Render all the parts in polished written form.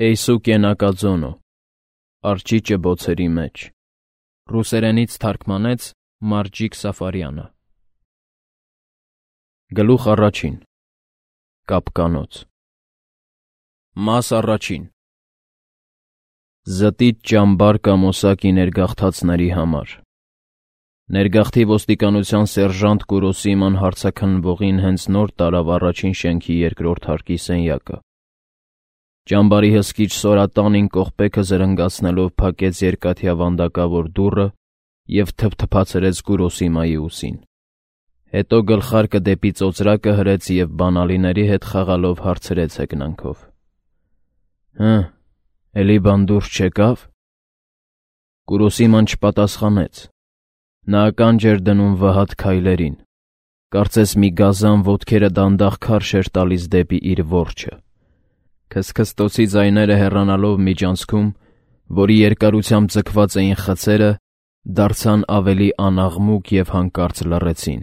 Էյսու կենակաձոնո, արջիճը բոցերի մեջ, ռուսերենից թարգմանեց Մարջիկ Սաֆարյանը։ Գլուխ առաջին, կապկանոց։ Մաս առաջին, զտիչ ճամբար կամ օսակի ներգաղթածների համար։ Ներգաղթի ոստիկանության սերժանտ Կուրոսիման հարցաքննվողին հենց նոր տարավ առաջին շենքի երկրորդ հարկի սենյակը։ Ճամբարի հսկիչ սորատանին կողպեքը զրնգացնելով փակեց երկաթյա վանդակավոր դուռը և թփթփացրեց Կուրոսիմայի ուսին։ Հետո գլխարկը դեպի ծոծրակը հրեց և բանալիների հետ խաղալով հարցրեց հեգնանքով. «Հը, էլի բան դուրս չեկավ»։ Կուրոսիման չպատասխանեց։ Նա ականջ էր դնում վհատ քայլերին, կարծես մի գազան ոտքերը դանդաղ քարշ էր տալիս դեպի իր որջը։ Քսքստոցի ձայները հեռանալով միջանցքում, որի երկարությամբ ձգված էին խցերը, դարձան ավելի անաղմուկ և հանկարծ լռեցին,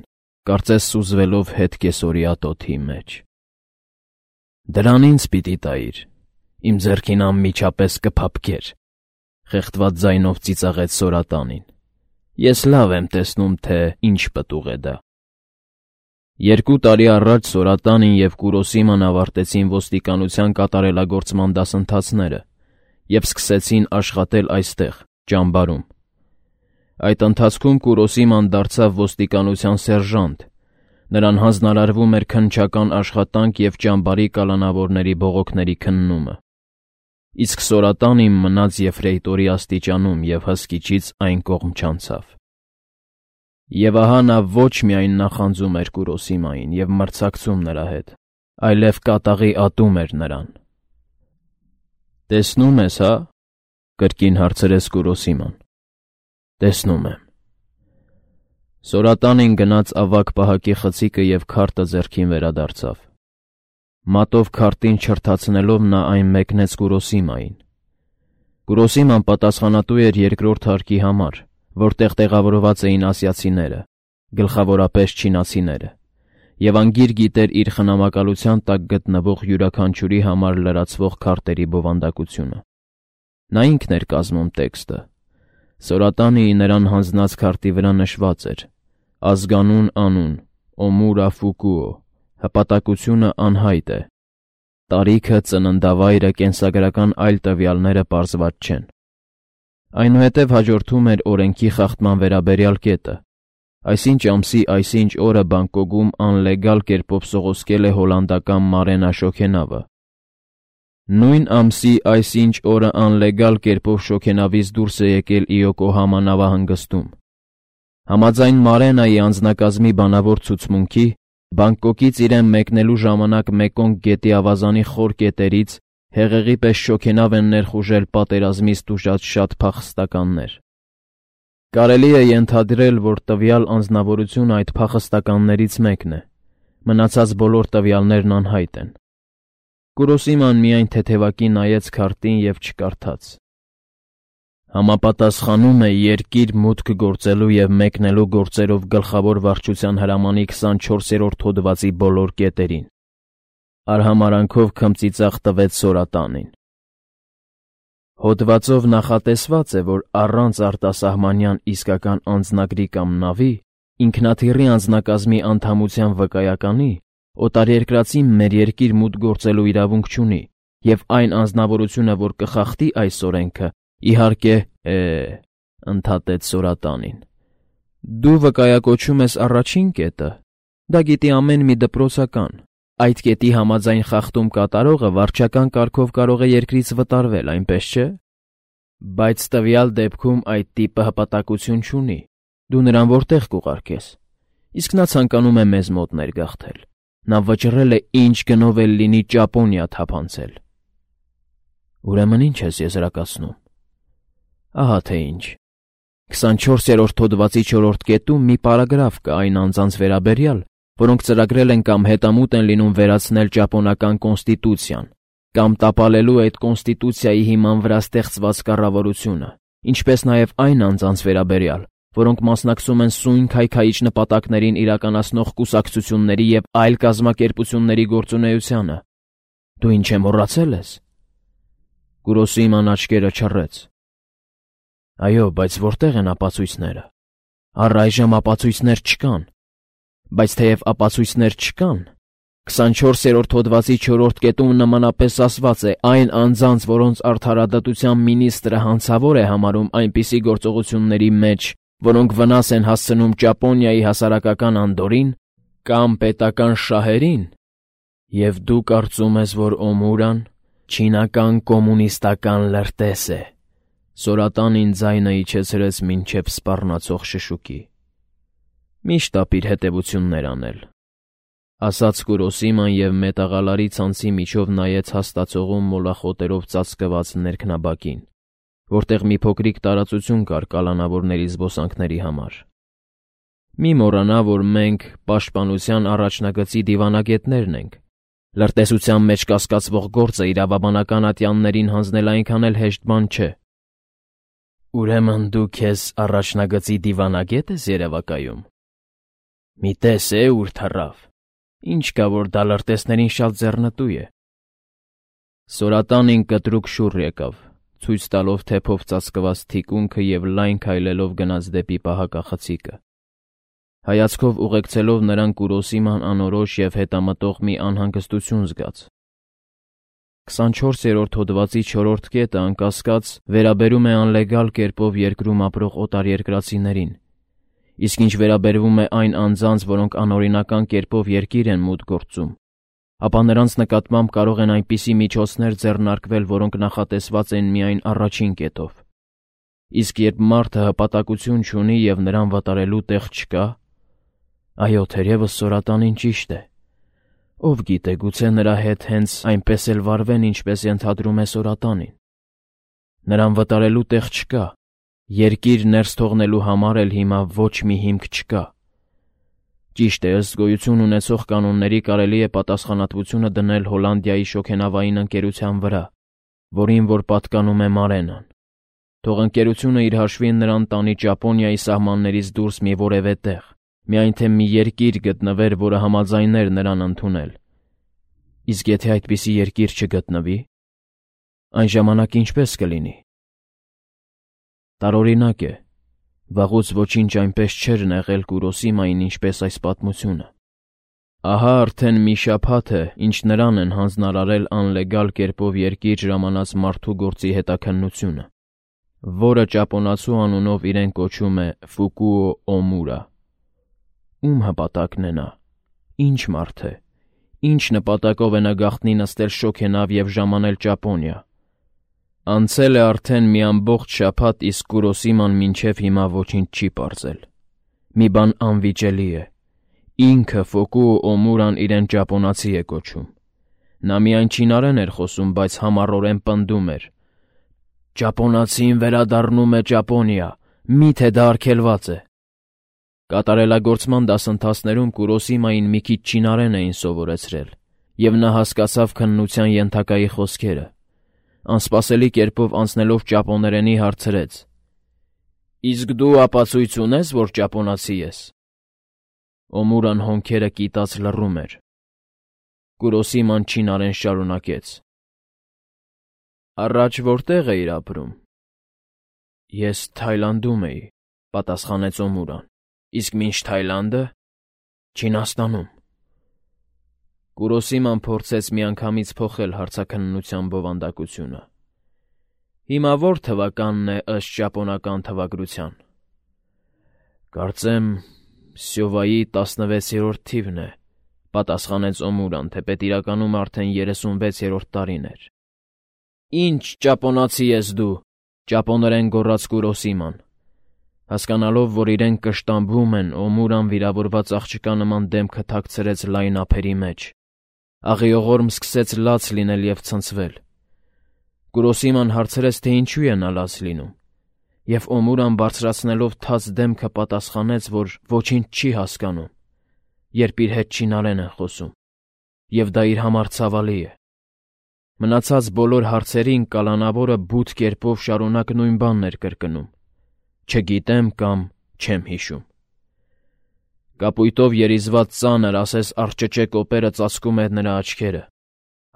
կարծես սուզվելով հետ կեսօրյա տոթի մեջ։ «Դրան ինձ պիտի տայիր, իմ ձեռքին անմիջապես կփափկեր», խեղդված ձայնով ծիծաղեց սորատանին։ «Ես լավ եմ տեսնում, թե ինչ պտուղ է դա»։ 2 տարի առաջ Սորատանին և Կուրոսիման ավարտեցին ոստիկանության կատարելագործման դասընթացները և սկսեցին աշխատել այստեղ, ճամբարում։ Այդ ընթացքում Կուրոսիման դարձավ ոստիկանության սերժանտ, նրան հանձնարարվում էր քննչական աշխատանք և ճամբարի կալանավորների բողոքների քննումը։ Իսկ Սորատանին մնաց եֆրեյտորի աստիճանում և հսկիչից այն կողմ չանցավ։ Եվ ահա նա ոչ միայն նախանձում էր Կուրոսիմային և մրցակցում նրա հետ, այլև կատաղի ատում էր նրան։ «Տեսնում ես, հա՞», կրկին հարցրեց Կուրոսիման։ «Տեսնում եմ»։ Սորատանին գնաց ավագ պահակի խցիկը և քարտը ձեռքին վերադարձավ։ Մատով քարտին չրթացնելով նա այն մեկնեց Կուրոսիմային։ Կուրոսիման պատասխանատու էր երկրորդ հարկի համար, որտեղ տեղավորված էին ասիացիները, գլխավորապես չինացիները, և անգիր գիտեր իր խնամակալության տակ գտնվող յուրաքանչյուրի համար լրացվող քարտերի բովանդակությունը։ Նա ինքն էր կազմում տեքստը։ Սորատանիի նրան հանձնած քարտի վրա նշված էր. ազգանուն անուն, Օմուրա Ֆուկուո, հպատակությունը անհայտ է, տարիքը, ծննդավայրը, կենսագրական այլ տվյալները պարզված չեն։ Այնուհետև հաջորդում էր օրենքի խախտման վերաբերյալ կետը, այսինչ ամսի այսինչ օրը Բանգկոկում անլեգալ կերպով սողոսկել է հոլանդական Մարենա Շոքենավը։ Նույն ամսի այսինչ օրը անլեգալ կերպով շոգենավից դուրս է եկել Իոկոհամա նավահանգստում։ Համաձայն Մարենայի անձնակազմի բանավոր ցուցմունքի, Բանգկոկից իրեն մեկնելու ժամանակ Մեկոնգ գետի ավազանի խոր կետերից հեղեղի պես շոգենավ են ներխուժել պատերազմից տուժած շատ փախստականներ։ Կարելի է ենթադրել, որ տվյալ անձնավորությունը այդ փախստականներից մեկն է, մնացած բոլոր տվյալներն անհայտ են։ Կուրոսիման միայն թեթևակի նայեց քարտին և չկարդաց։ Համապատասխանում է երկիր մուտք գործելու և մեկնելու գործերով գլխավոր վարչության հրամանի 24-րդ հոդվածի բոլոր կետերին, արհամարանքով քմծիծաղ տվեց Սորատանին։ Հոդվածով նախատեսված է, որ առանց արտասահմանյան իսկական անձնագրի կամ նավի, ինքնաթիռի անձնակազմի անդամության վկայականի, օտարերկրացին մեր երկիր մուտք գործելու իրավունք չունի, և այն անձնավորությունը, որ կխախտի այս օրենքը, իհարկե, ընդհատեց Սորատանին։ Դու վկայակոչում ես առաջին կետը, դա գիտի ամեն մի դպրոցական։ Այդ կետի համաձայն խախտում կատարողը վարչական կարգով կարող է երկրից վտարվել, այնպես չէ։ Բայց տվյալ դեպքում այդ տիպը հպատակություն չունի, դու նրան որտեղ կուղարկես։ Իսկ նա ցանկանում է մեզ մոտ ներգաղթել։ Նա վճռել է ինչ գնով էլ լինի Ճապոնիա թափանցել։ Ուրեմն ինչ ես եզրակացնում։ Ահա թե ինչ։ 24-րդ հոդվածի 4-րդ կետում մի պարագրաֆ կա այն անձանց վերաբերյալ, որոնք ծրագրել են կամ հետամուտ են լինում վերացնել ճապոնական կոնստիտուցիան, կամ տապալելու այդ կոնստիտուցիայի հիման վրա ստեղծված կառավարությունը, ինչպես նաև այն անձանց վերաբերյալ, որոնք մասնակցում են սույն քայքայիչ նպատակներին իրականացնող կուսակցությունների և այլ կազմակերպությունների գործունեությանը։ Դու ինչ է մոռացել ես։ Կուրոսիման աչքերը չռեց։ Այո, բայց որտեղ են ապացույցները։ Առայժմ ապացույցներ չկան։ Բայց թեև ապացույցներ չկան, 24-րդ հոդվածի 4-րդ կետում նմանապես ասված է. այն անձանց, որոնց արդարադատության մինիստրը հանցավոր է համարում այնպիսի գործողությունների մեջ, որոնք վնաս են հասցնում Ճապոնիայի հասարակական անդորրին կամ պետական շահերին, և դու կարծում ես, որ Օմուրան չինական կոմունիստական լրտես է։ Սորատանին ձայնը իջեցրեց մինչև սպառնացող շշուկի։ Միշտ ապիր հետևություններ անել, ասաց Կուրոսիման և մետաղալարի ցանցի միջով նայեց հաստացողում մոլախոտերով ծածկված ներքնաբակին, որտեղ մի փոքրիկ տարածություն կար կալանավորների զբոսանքների համար։ Մի մոռանա, որ մենք պաշտպանության առաջնագծի դիվանագետներն ենք։ Լրտեսության մեջ կասկածվող գործը իրավաբանական ատյաններին հանձնել այնքան էլ հեշտ բան չէ։ Ուրեմն դու քեզ առաջնագծի դիվանագետ ես երևակայում։ Մի տես է ուր թռավ։ Ինչ կա, որ դա լրտեսներին շատ ձեռնտու է։ Սորատանին կտրուկ շուռ եկավ, ցույց տալով թեփով ծածկված թիկունքը և լայն քայլելով գնաց դեպի պահակախցիկը։ Հայացքով ուղեկցելով նրան Կուրոսիման անորոշ և հետամտող մի անհանգստություն զգաց։ 24-րդ հոդվածի 4-րդ կետը անկասկած վերաբերում է անլեգալ կերպով երկրում ապրող օտարերկրացիներին, իսկ ինչ վերաբերվում է այն անձանց, որոնք անօրինական կերպով երկիր են մուտք գործում, ապա նրանց նկատմամբ կարող են այնպիսի միջոցներ ձեռնարկվել, որոնք նախատեսված են միայն առաջին կետով։ Իսկ երբ մարդը հպատակություն չունի և նրան վտարելու տեղ չկա, այո, թերևս Սորատանին ճիշտ է։ Ով գիտե, գուցե նրա հետ հենց այնպես էլ վարվեն, ինչպես ենթադրում է Սորատանին։ Նրան վտարելու տեղ չկա, երկիր ներս թողնելու համար էլ հիմա ոչ մի հիմք չկա։ Ճիշտ է, ըստ գոյություն ունեցող կանոնների կարելի է պատասխանատվությունը դնել Հոլանդիայի շոգենավային ընկերության վրա, որին որ պատկանում է Մարենան։ Թող ընկերությունը իր հաշվին նրան տանի Ճապոնիայի սահմաններից դուրս մի որևէ տեղ, միայն թե մի երկիր գտնվեր, որը համաձայներ նրան ընդունել։ Իսկ եթե այդպիսի երկիր չգտնվի, այն ժամանակ ինչպես կլինի։ Տարօրինակ է, վաղուց ոչինչ այնպես չէր նեղել Կուրոսիմային, ինչպես այս պատմությունը։ Ահա արդեն մի շաբաթ է, ինչ նրան են հանձնարարել անլեգալ կերպով երկիր ժամանած մարդու գործի հետաքննությունը, որը ճապոնացու անունով իրեն կոչում է Ֆուկուո Օմուրա։ Ում հպատակն է նա։ Ինչ մարդ է։ Ինչ նպատակով է նա գաղտնի նստել շոգենավ և ժամանել Ճապոնիա։ Անցել է արդեն մի ամբողջ շաբաթ, իսկ Կուրոսիման մինչև հիմա ոչինչ չի պարզել։ Մի բան անվիճելի է։ Ինքը Ֆուկուո Օմուրան իրեն ճապոնացի է կոչում։ Նա միայն չինարեն էր խոսում, բայց համառորեն պնդում էր. «Ճապոնացին վերադառնում է Ճապոնիա, միթե դա արգելված է»։ Կատարելագործման դասընթացներում Կուրոսիմային մի քիչ չինարեն էին սովորեցրել, և նա հասկացավ քննության ենթակայի խոսքերը։ Անսպասելի կերպով անցնելով ճապոներենի հարցրեց. «Իսկ դու ապացույց ունես, որ ճապոնացի ես»։ Օմուրան հոնքերը կիտած լռում էր։ Կուրոսիման չինարեն շարունակեց. «Առաջ որտեղ էիր ապրում»։ «Ես Թայլանդում էի», պատասխանեց Օմուրան։ «Իսկ մինչ Թայլանդը»։ «Չինաստանում»։ Կուրոսիման փորձեց միանգամից փոխել հարցաքննության բովանդակությունը։ «Հիմա ո՞ր թվականն է ըստ ճապոնական թվագրության»։ «Կարծեմ Սյովայի 16-րդ թիվն է», պատասխանեց Օմուրան, թեպետ իրականում արդեն 36-րդ տարին էր։ «Ինչ ճապոնացի ես դու», ճապոներեն գոռաց Կուրոսիման։ Հասկանալով, որ իրեն կշտամբում են, Օմուրան վիրավորված աղջկա նման դեմքը թաքցրեց լայն ափերի մեջ։ Աղիողորմ սկսեց լաց լինել և ցնցվել։ Կուրոսիման հարցրեց, թե ինչու է նա լաց լինում, և Օմուրան բարձրացնելով թաց դեմքը պատասխանեց, որ ոչինչ չի հասկանում, երբ իր հետ չինարեն են խոսում, և դա իր համար ցավալի է։ Մնացած բոլոր հարցերին կալանավորը բութ կերպով շարունակ նույն բանն էր կրկնում. «Չգիտեմ» կամ «Չեմ հիշում»։ Կապույտով երիզված ծանր, ասես արճճե կոպերը ծածկում էր նրա աչքերը։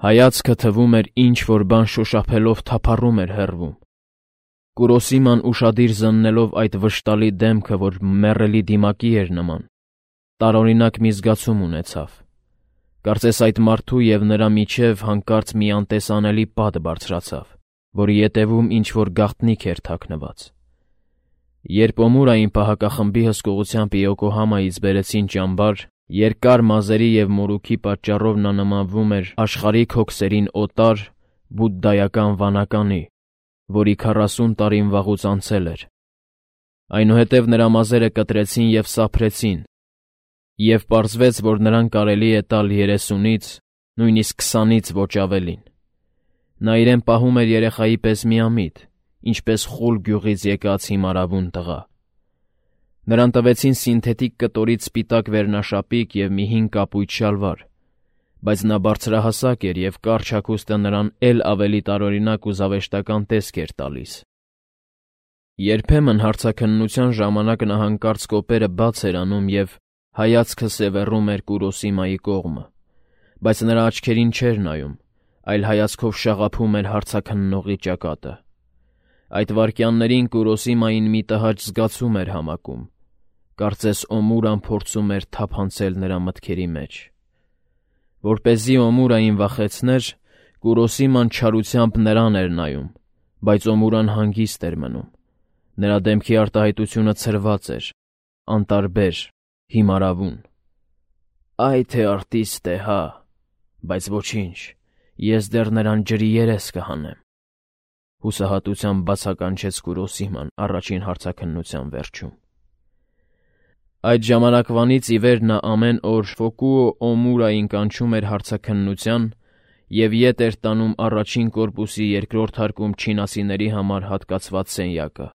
Հայացքը թվում էր ինչ-որ բան շոշափելով թափառում էր հեռվում։ Կուրոսիման ուշադիր զննելով այդ վշտալի դեմքը, որ մեռելի դիմակի էր նման, տարօրինակ մի զգացում ունեցավ։ Կարծես այդ մարդու և նրա միջև հանկարծ մի անտեսանելի պատ բարձրացավ, որի ետևում ինչ-որ գաղտնիք էր թաքնված։ Երբ Օմուրային պահակախմբի հսկողությամբ Իոկոհամայից բերեցին ճամբար, երկար մազերի և մորուքի պատճառով նա նմանվում էր աշխարհիկ հոգսերին օտար բուդդայական վանականի, որի 40 տարին վաղուց անցել էր։ Այնուհետև նրա մազերը կտրեցին և սափրեցին, և պարզվեց, որ նրան կարելի է տալ 30-ից, նույնիսկ 20-ից ոչ ավելին։ Նա իրեն պահում էր երեխայի պես միամիտ, ինչպես խուլ գյուղից եկած հիմարավուն տղա։ Նրան տվեցին սինթետիկ կտորից սպիտակ վերնաշապիկ և մի հին կապույտ շալվար, բայց նա բարձրահասակ էր և կարճ հագուստը նրան էլ ավելի տարօրինակ ու զավեշտական տեսք էր տալիս։ Երբեմն հարցաքննության ժամանակ նա հանկարծ կոպերը բաց էր անում և հայացքը սևեռում էր Կուրոսիմայի կողմը, բայց նրա աչքերին չէր նայում, այլ հայացքով շաղափում էր հարցաքննողի ճակատը։ Այդ վայրկյաններին Կուրոսիմային մի տհաճ զգացում էր համակում, կարծես Օմուրան փորձում էր թափանցել նրա մտքերի մեջ։ Որպեսզի Օմուրային վախեցներ, Կուրոսիման չարությամբ նրան էր նայում, բայց Օմուրան հանգիստ էր մնում։ Նրա դեմքի արտահայտությունը ցրված էր, անտարբեր, հիմարավուն։ «Այ թե արտիստ է, հա, բայց ոչինչ, ես դեռ նրան ջրի երես կհանեմ», հուսահատությամբ բացականչեց Կուրոսիման առաջին հարցաքննության վերջում։ Այդ ժամանակվանից ի վեր նա ամեն օր Ֆոկուո Օմուրային կանչում էր հարցաքննության և ետ էր տանում առաջին կորպուսի երկրորդ հարկում չինասիների համար հատկացված սենյակը։